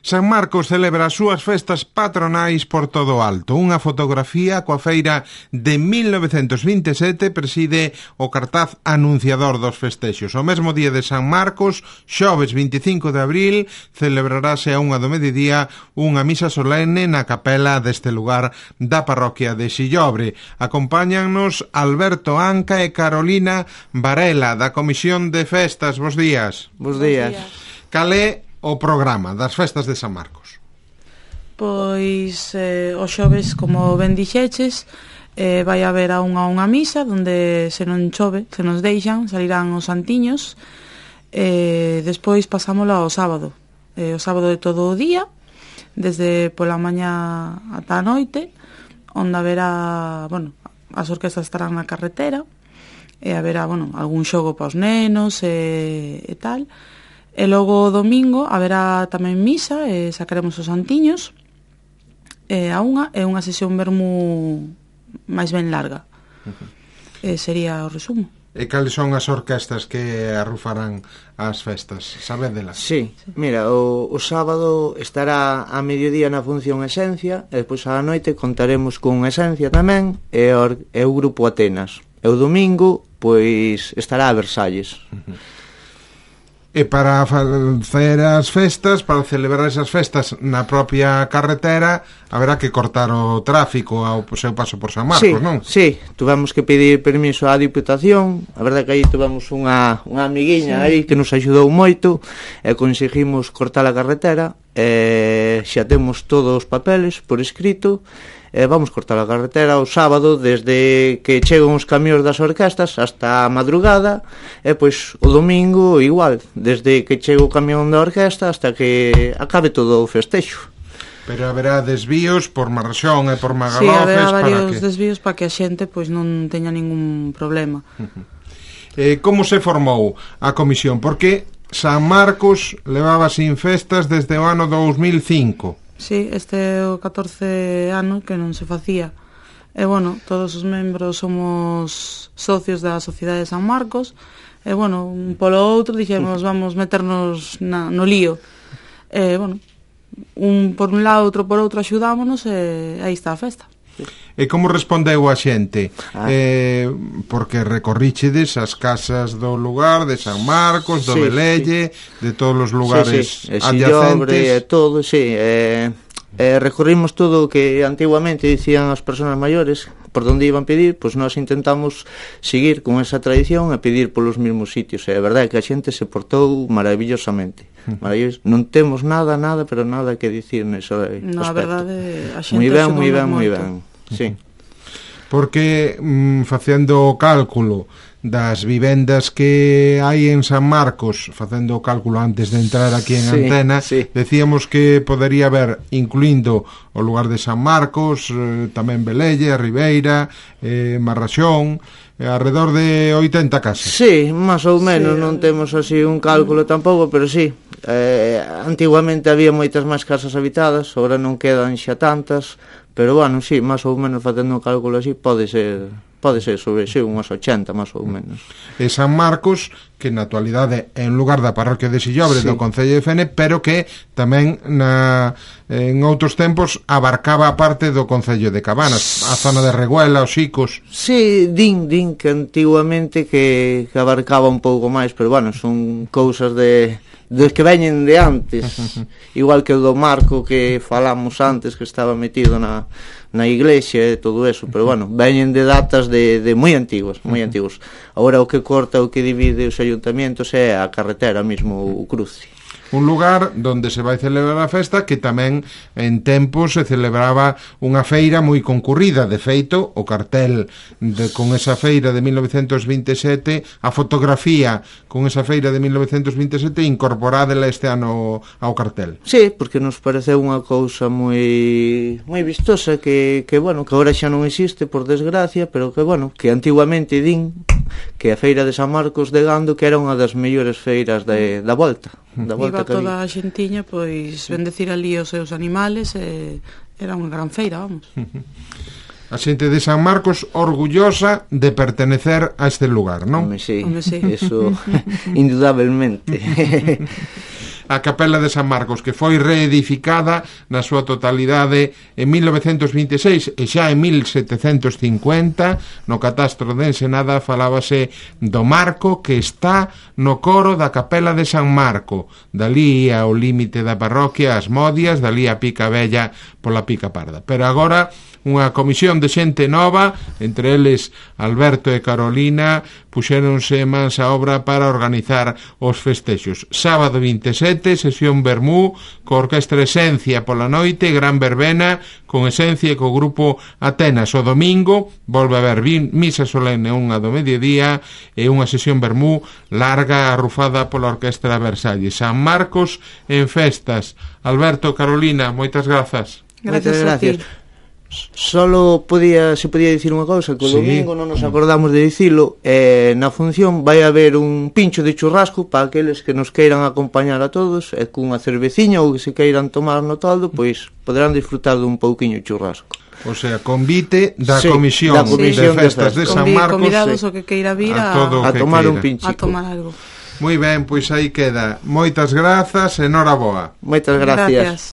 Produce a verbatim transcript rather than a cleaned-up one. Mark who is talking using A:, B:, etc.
A: San Marcos celebra as súas festas patronais por todo o alto. Unha fotografía coa feira de mil novecentos vinte e sete preside o cartaz anunciador dos festexos. O mesmo día de San Marcos, xoves vinte e cinco de abril, celebrarase a unha do mediodía unha misa solene na capela deste lugar da parroquia de Sillobre. Acompáñannos Alberto Anca e Carolina Varela, da Comisión de Festas. Bos días.
B: Bos días.
A: Cal é o programa das festas de San Marcos?
C: Pois eh, os xoves, como ben dixeches, eh, vai haber a unha unha misa onde se non chove, se nos deixan, salirán os santiños. Eh, despois pasámoslo ao sábado, eh, o sábado de todo o día, desde pola mañá ata a noite, onde haberá, bueno, as orquestas estarán na carretera, e haberá, bueno, algún xogo para os nenos e, e tal. E logo o domingo haberá tamén misa e sacaremos os santiños e a unha é unha sesión vermú máis ben larga. Uh-huh. E sería o resumo.
A: E cales son as orquestas que arrufarán as festas? Sabédelas?
B: Sí, mira, o, o sábado estará a mediodía na función Esencia e despois á noite contaremos con Esencia tamén e o, e o grupo Atenas. E o domingo, pois, estará a Versalles.
A: Uh-huh. E para facer as festas, para celebrar esas festas na propia carretera, haberá que cortar o tráfico ao seu paso por San Marcos,
B: sí,
A: non?
B: Sí, tuvemos que pedir permiso á Diputación. A verdade que aí tuvemos unha, unha amiguiña sí. aí que nos axudou moito e conseguimos cortar a carretera e xa temos todos os papeles por escrito. Eh, vamos cortar a carretera o sábado desde que chegan os camións das orquestas hasta a madrugada e pois o domingo igual, desde que chega o camión da orquesta hasta que acabe todo o festexo.
A: Pero haberá desvíos por Marrachón e por Magalofes.
C: Sí, haberá varios
A: para que...
C: desvíos para que a xente pois non teña ningún problema.
A: Uh-huh. Eh, como se formou a comisión? Porque San Marcos levaba sin festas desde o ano dous mil cinco.
C: Sí, este é o catorce ano que non se facía. E, bueno, todos os membros somos socios da Sociedade de San Marcos. E, bueno, un polo outro dixemos, vamos meternos na, no lío. E, bueno, un por un lado, outro por outro axudámonos e aí está a festa.
A: E como respondeu a xente?
B: Ah.
A: Eh, porque recorríchedes as casas do lugar de San Marcos, do sí, Velelle, sí. de todos os lugares sí, sí. adyacentes.
B: E todo, sí. Eh, eh, recorrimos todo o que antiguamente dicían as persoas maiores, por onde iban pedir, pois nós intentamos seguir con esa tradición e pedir polos mesmos sitios. E a verdade é que a xente se portou maravillosamente. Maravilloso. Non temos nada, nada, pero nada que dicir nese aspecto.
C: No, a verdade, a xente
B: moi ben, moi ben, moi ben. Sí.
A: Porque mm, facendo o cálculo das vivendas que hai en San Marcos, facendo o cálculo antes de entrar aquí en sí, antena, sí. decíamos que podería haber, incluindo o lugar de San Marcos, eh, tamén Velelle, Ribeira, eh, Marrachón, eh, alrededor de oitenta casas.
B: Sí, máis ou menos, sí, non temos así un cálculo tampouco, pero sí. Eh, antiguamente había moitas máis casas habitadas, agora non quedan xa tantas. Pero, bueno, sí, máis ou menos facendo un cálculo así, pode ser, pode ser sobre, sí, unhas ochenta, máis ou menos.
A: E San Marcos, que na actualidade é un lugar da parroquia de Sillobre, sí. do Concello de Fene, pero que tamén na, en outros tempos abarcaba a parte do Concello de Cabanas, a zona de Reguela, os Xicos.
B: Sí, din, din que antiguamente que, que abarcaba un pouco máis, pero, bueno, son cousas de... dos que veñen de antes, igual que o do Marco que falamos antes, que estaba metido na, na iglesia e todo eso, pero bueno, veñen de datas de, de moi antiguas, moi antigos. Agora o que corta, o que divide os ayuntamientos é a carretera mesmo, o cruce.
A: Un lugar donde se vai celebrar a festa que tamén en tempos se celebraba unha feira moi concurrida. De feito, o cartel de, con esa feira de mil novecentos vinte e sete, a fotografía con esa feira de mil novecentos vinte e sete incorporádela este ano ao cartel.
B: Sí, porque nos pareceu unha cousa moi moi vistosa que, que bueno, que agora xa non existe por desgracia, pero que bueno, que antiguamente din que a feira de San Marcos de Gando que era unha das mellores feiras de, da volta. Da volta
C: iba toda a xentiña pois bendecir ali os seus animales e era unha gran feira, vamos.
A: A xente de San Marcos orgullosa de pertenecer a este lugar, non?
B: Home, sí,
C: Home, sí.
B: Eso indudablemente.
A: a Capela de San Marcos, que foi reedificada na súa totalidade en mil novecentos vinte e seis, e xa en mil setecentos cincuenta no catastro de Ensenada falábase do marco que está no coro da Capela de San Marco, dali ao límite da parroquia as Modias, dali a Pica Bella pola Pica Parda. Pero agora unha comisión de xente nova, entre eles Alberto e Carolina, puxéronse mans a obra para organizar os festexos. Sábado vinte e sete, sesión Vermú, co Orquestra Esencia pola noite, gran verbena con Esencia e co grupo Atenas. O domingo volve a haber misa solene unha do mediodía e unha sesión Vermú larga arrufada pola Orquestra Versalles. San Marcos en festas. Alberto, Carolina, moitas grazas.
C: Gracias, gracias.
B: Solo podía, se podía dicir unha cousa, que o
A: sí.
B: domingo non nos acordamos de dicilo, eh, na función vai haber un pincho de churrasco para aqueles que nos queiran acompañar a todos, e cunha cerveciña ou que se queiran tomar no toldo, pois poderán disfrutar dun pouquiño de churrasco.
A: O sea, convite da
B: sí,
A: comisión,
B: da comisión
A: de festas de, de San Marcos,
C: convidados
A: sí,
C: o que queira vir a,
B: a, a tomar
A: queira.
B: un pinchico,
C: a tomar algo.
A: Moi ben, pois aí queda. Moitas grazas e noraboa.
B: Moitas gracias.
C: Gracias.